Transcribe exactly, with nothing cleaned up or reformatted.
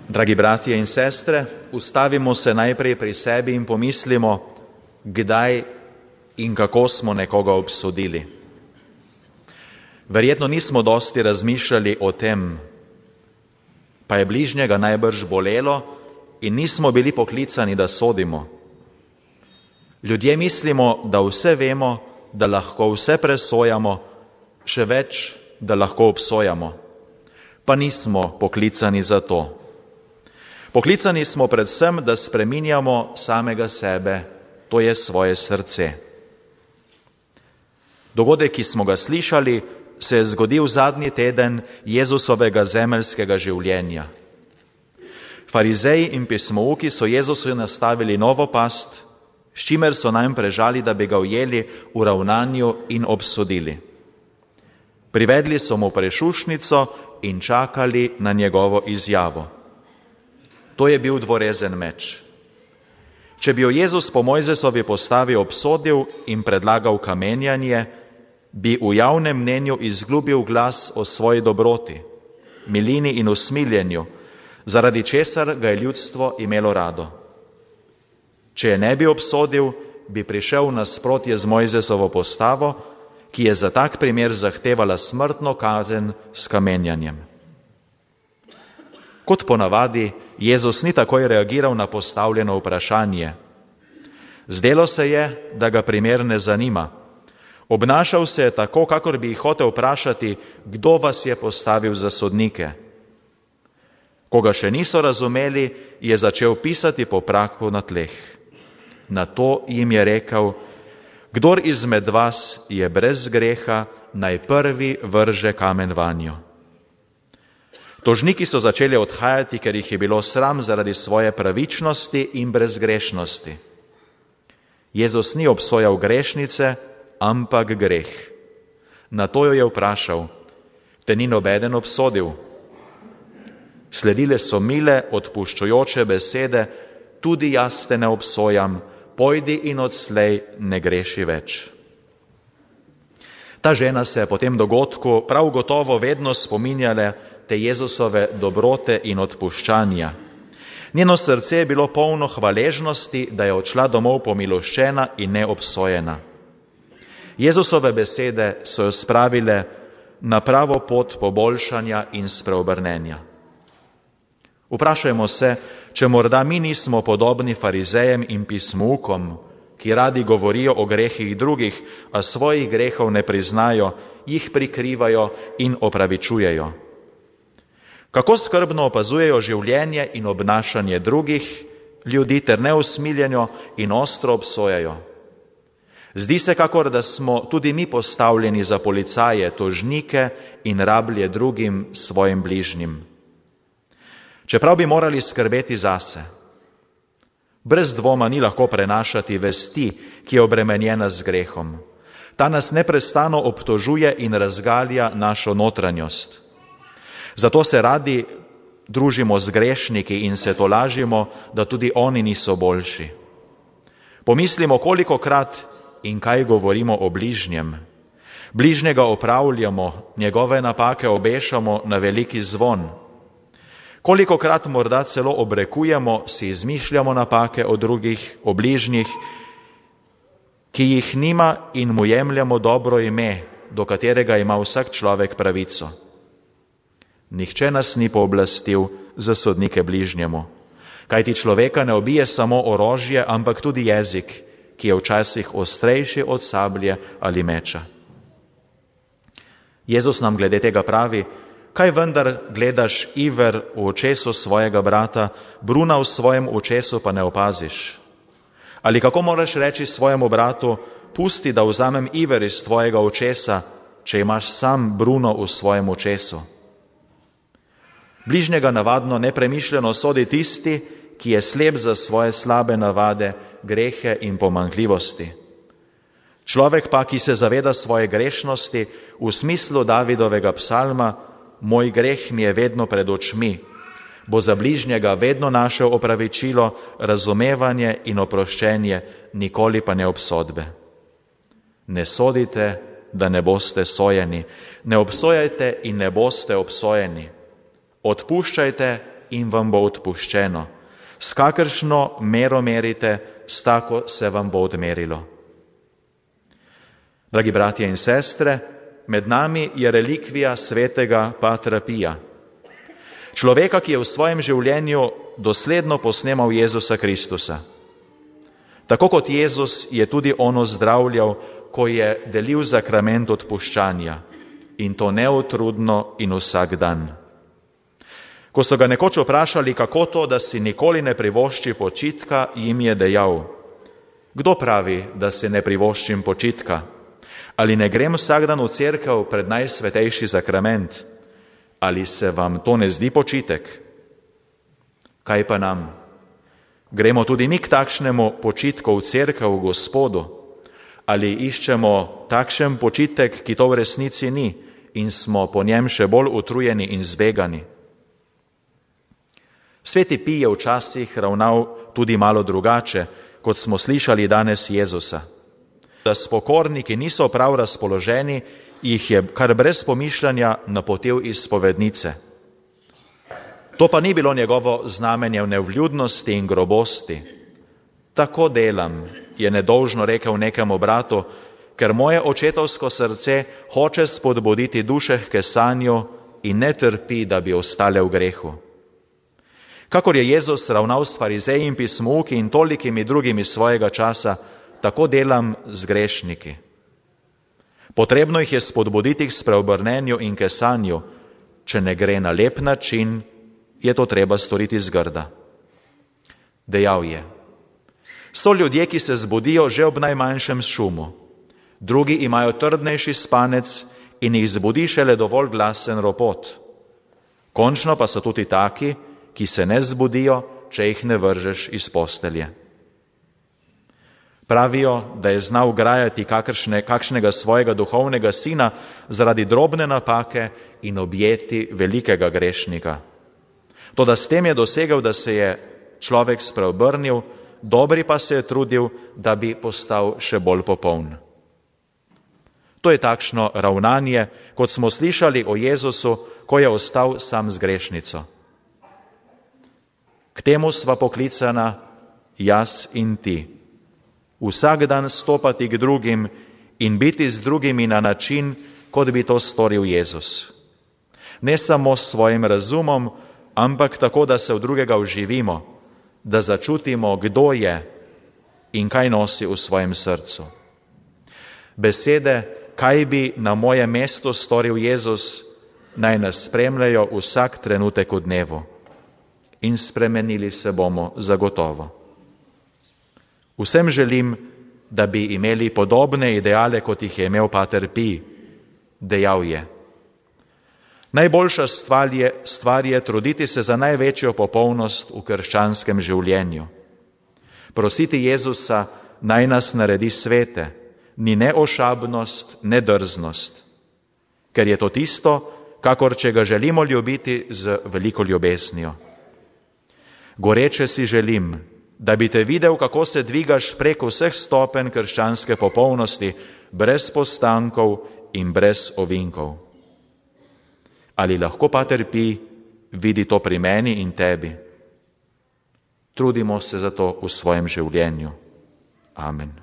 Dragi bratje in sestre, ustavimo se najprej pri sebi in pomislimo, kdaj in kako smo nekoga obsodili. Verjetno nismo dosti razmišljali o tem, pa je bližnjega najbrž bolelo in nismo bili poklicani, da sodimo. Ljudje mislimo, da vse vemo, da lahko vse presojamo, še več, da lahko obsojamo, pa nismo poklicani za to. Poklicani smo predvsem, da spreminjamo samega sebe, to je svoje srce. Dogodek, ki smo ga slišali, se je zgodil zadnji teden Jezusovega zemeljskega življenja. Farizeji in pismouki so Jezusu nastavili novo past, s čimer so nam prežali, da bi ga ujeli v ravnanju in obsodili. Privedli so mu prešušnico in čakali na njegovo izjavo. To je bil dvorezen meč. Če bi jo Jezus po Mojzesovi postavi obsodil in predlagal kamenjanje, bi v javnem mnenju izgubil glas o svoji dobroti, milini in usmiljenju, zaradi česar ga je ljudstvo imelo rado. Če je ne bi obsodil, bi prišel nasprotje z Mojzesovo postavo, ki je za tak primer zahtevala smrtno kazen s kamenjanjem. Kot ponavadi, Jezus ni takoj reagiral na postavljeno vprašanje. Zdelo se je, da ga primer ne zanima. Obnašal se je tako, kakor bi jih hotel vprašati, kdo vas je postavil za sodnike. Ko ga še niso razumeli, je začel pisati po prahu na tleh. Nato jim je rekel, kdor izmed vas je brez greha, naj prvi vrže kamen vanjo. Tožniki so začeli odhajati, ker jih je bilo sram zaradi svoje pravičnosti in brezgrešnosti. Jezus ni obsojal grešnice, ampak greh. Nato jo je vprašal, te ni nobeden obsodil? Sledile so mile, odpuščujoče besede, tudi jaz te ne obsojam, pojdi in odslej ne greši več. Ta žena se je po tem dogodku prav gotovo vedno spominjala te Jezusove dobrote in odpuščanja. Njeno srce je bilo polno hvaležnosti, da je odšla domov pomiloščena in neobsojena. Jezusove besede so jo spravile na pravo pot poboljšanja in spreobrnenja. Vprašajmo se, če morda mi nismo podobni farizejem in pismoukom, ki radi govorijo o grehih drugih, a svojih grehov ne priznajo, jih prikrivajo in opravičujejo. Kako skrbno opazujejo življenje in obnašanje drugih ljudi ter neusmiljeno in ostro obsojajo. Zdi se, kakor da smo tudi mi postavljeni za policaje, tožnike in rablje drugim svojim bližnjim. Čeprav bi morali skrbeti zase. Brez dvoma ni lahko prenašati vesti, ki je obremenjena z grehom. Ta nas neprestano obtožuje in razgalja našo notranjost. Zato se radi družimo z grešniki in se tolažimo, da tudi oni niso boljši. Pomislimo, kolikokrat in kaj govorimo o bližnjem. Bližnjega opravljamo, njegove napake obešamo na veliki zvon. Kolikokrat morda celo obrekujemo, si izmišljamo napake o drugih, o bližnjih, ki jih nima in mu jemljamo dobro ime, do katerega ima vsak človek pravico. Nihče nas ni pooblastil za sodnike bližnjemu, kajti človeka ne ubije samo orožje, ampak tudi jezik, ki je včasih ostrejši od sablje ali meča. Jezus nam glede tega pravi, kaj vendar gledaš iver v očesu svojega brata, bruna v svojem očesu pa ne opaziš? Ali kako moraš reči svojemu bratu, pusti, da vzamem iver iz tvojega očesa, če imaš sam bruno v svojem očesu? Bližnjega navadno nepremišljeno sodi tisti, ki je slep za svoje slabe navade, grehe in pomanjkljivosti. Človek pa, ki se zaveda svoje grešnosti, v smislu Davidovega psalma, moj greh mi je vedno pred očmi, bo za bližnjega vedno našel opravičilo, razumevanje in oproščenje, nikoli pa ne obsodbe. Ne sodite, da ne boste sojeni, ne obsojajte in ne boste obsojeni. Odpuščajte in vam bo odpuščeno. S kakršno mero merite, s tako se vam bo odmerilo. Dragi bratje in sestre, med nami je relikvija svetega Patra Pija, človeka, ki je v svojem življenju dosledno posnemal Jezusa Kristusa. Tako kot Jezus je tudi on ozdravljal, ko je delil zakrament odpuščanja, in to neutrudno in vsak dan. Ko so ga nekoč vprašali, kako to, da si nikoli ne privošči počitka, jim je dejal: kdo pravi, da si ne privoščim počitka? Ali ne grem vsak dan v cerkev pred najsvetejši zakrament? Ali se vam to ne zdi počitek? Kaj pa nam? Gremo tudi mi k takšnemu počitku v cerkev v Gospodu? Ali iščemo takšen počitek, ki to v resnici ni, in smo po njem še bolj utrujeni in zbegani? Sveti Pij je včasih ravnal tudi malo drugače, kot smo slišali danes Jezusa. Da spokorniki niso prav razpoloženi, jih je kar brez pomišljanja napotil iz spovednice. To pa ni bilo njegovo znamenje nevljudnosti in grobosti. Tako delam, je nedolžno rekel nekemu bratu, ker moje očetovsko srce hoče spodbuditi duše k kesanju in ne trpi, da bi ostale v grehu. Kakor je Jezus ravnal s farizeji in pismouki in tolikimi drugimi svojega časa, tako delam z grešniki. Potrebno jih je spodbuditi k spreobrnenju in kesanju. Če ne gre na lep način, je to treba storiti zgrda. Dejal je: so ljudje, ki se zbudijo že ob najmanjšem šumu, drugi imajo trdnejši spanec in jih zbudi šele dovolj glasen ropot. Končno pa so tudi taki, ki se ne zbudijo, če jih ne vržeš iz postelje. Pravijo, da je znal grajati kakršne, kakšnega svojega duhovnega sina zaradi drobne napake in objeti velikega grešnika. Toda s tem je dosegel, da se je človek spreobrnil, dobri pa se je trudil, da bi postal še bolj popoln. To je takšno ravnanje, kot smo slišali o Jezusu, ko je ostal sam z grešnico. K temu sva poklicana jaz in ti. Vsak dan stopati k drugim in biti z drugimi na način, kot bi to storil Jezus. Ne samo s svojim razumom, ampak tako, da se v drugega vživimo, da začutimo, kdo je in kaj nosi v svojem srcu. Besede, kaj bi na moje mesto storil Jezus, naj nas spremljajo vsak trenutek v dnevu. In spremenili se bomo zagotovo. Vsem želim, da bi imeli podobne ideale, kot jih je imel Pater Pij. Dejal je: najboljša stvar je, stvar je truditi se za največjo popolnost v krščanskem življenju. Prositi Jezusa, naj nas naredi svete, ni ne ošabnost, ne drznost, ker je to tisto, kakor če ga želimo ljubiti z veliko ljubesnijo. Goreče si želim, da bi te videl, kako se dvigaš preko vseh stopenj krščanske popolnosti, brez postankov in brez ovinkov. Ali lahko Pater Pij vidi to pri meni in tebi? Trudimo se za to v svojem življenju. Amen.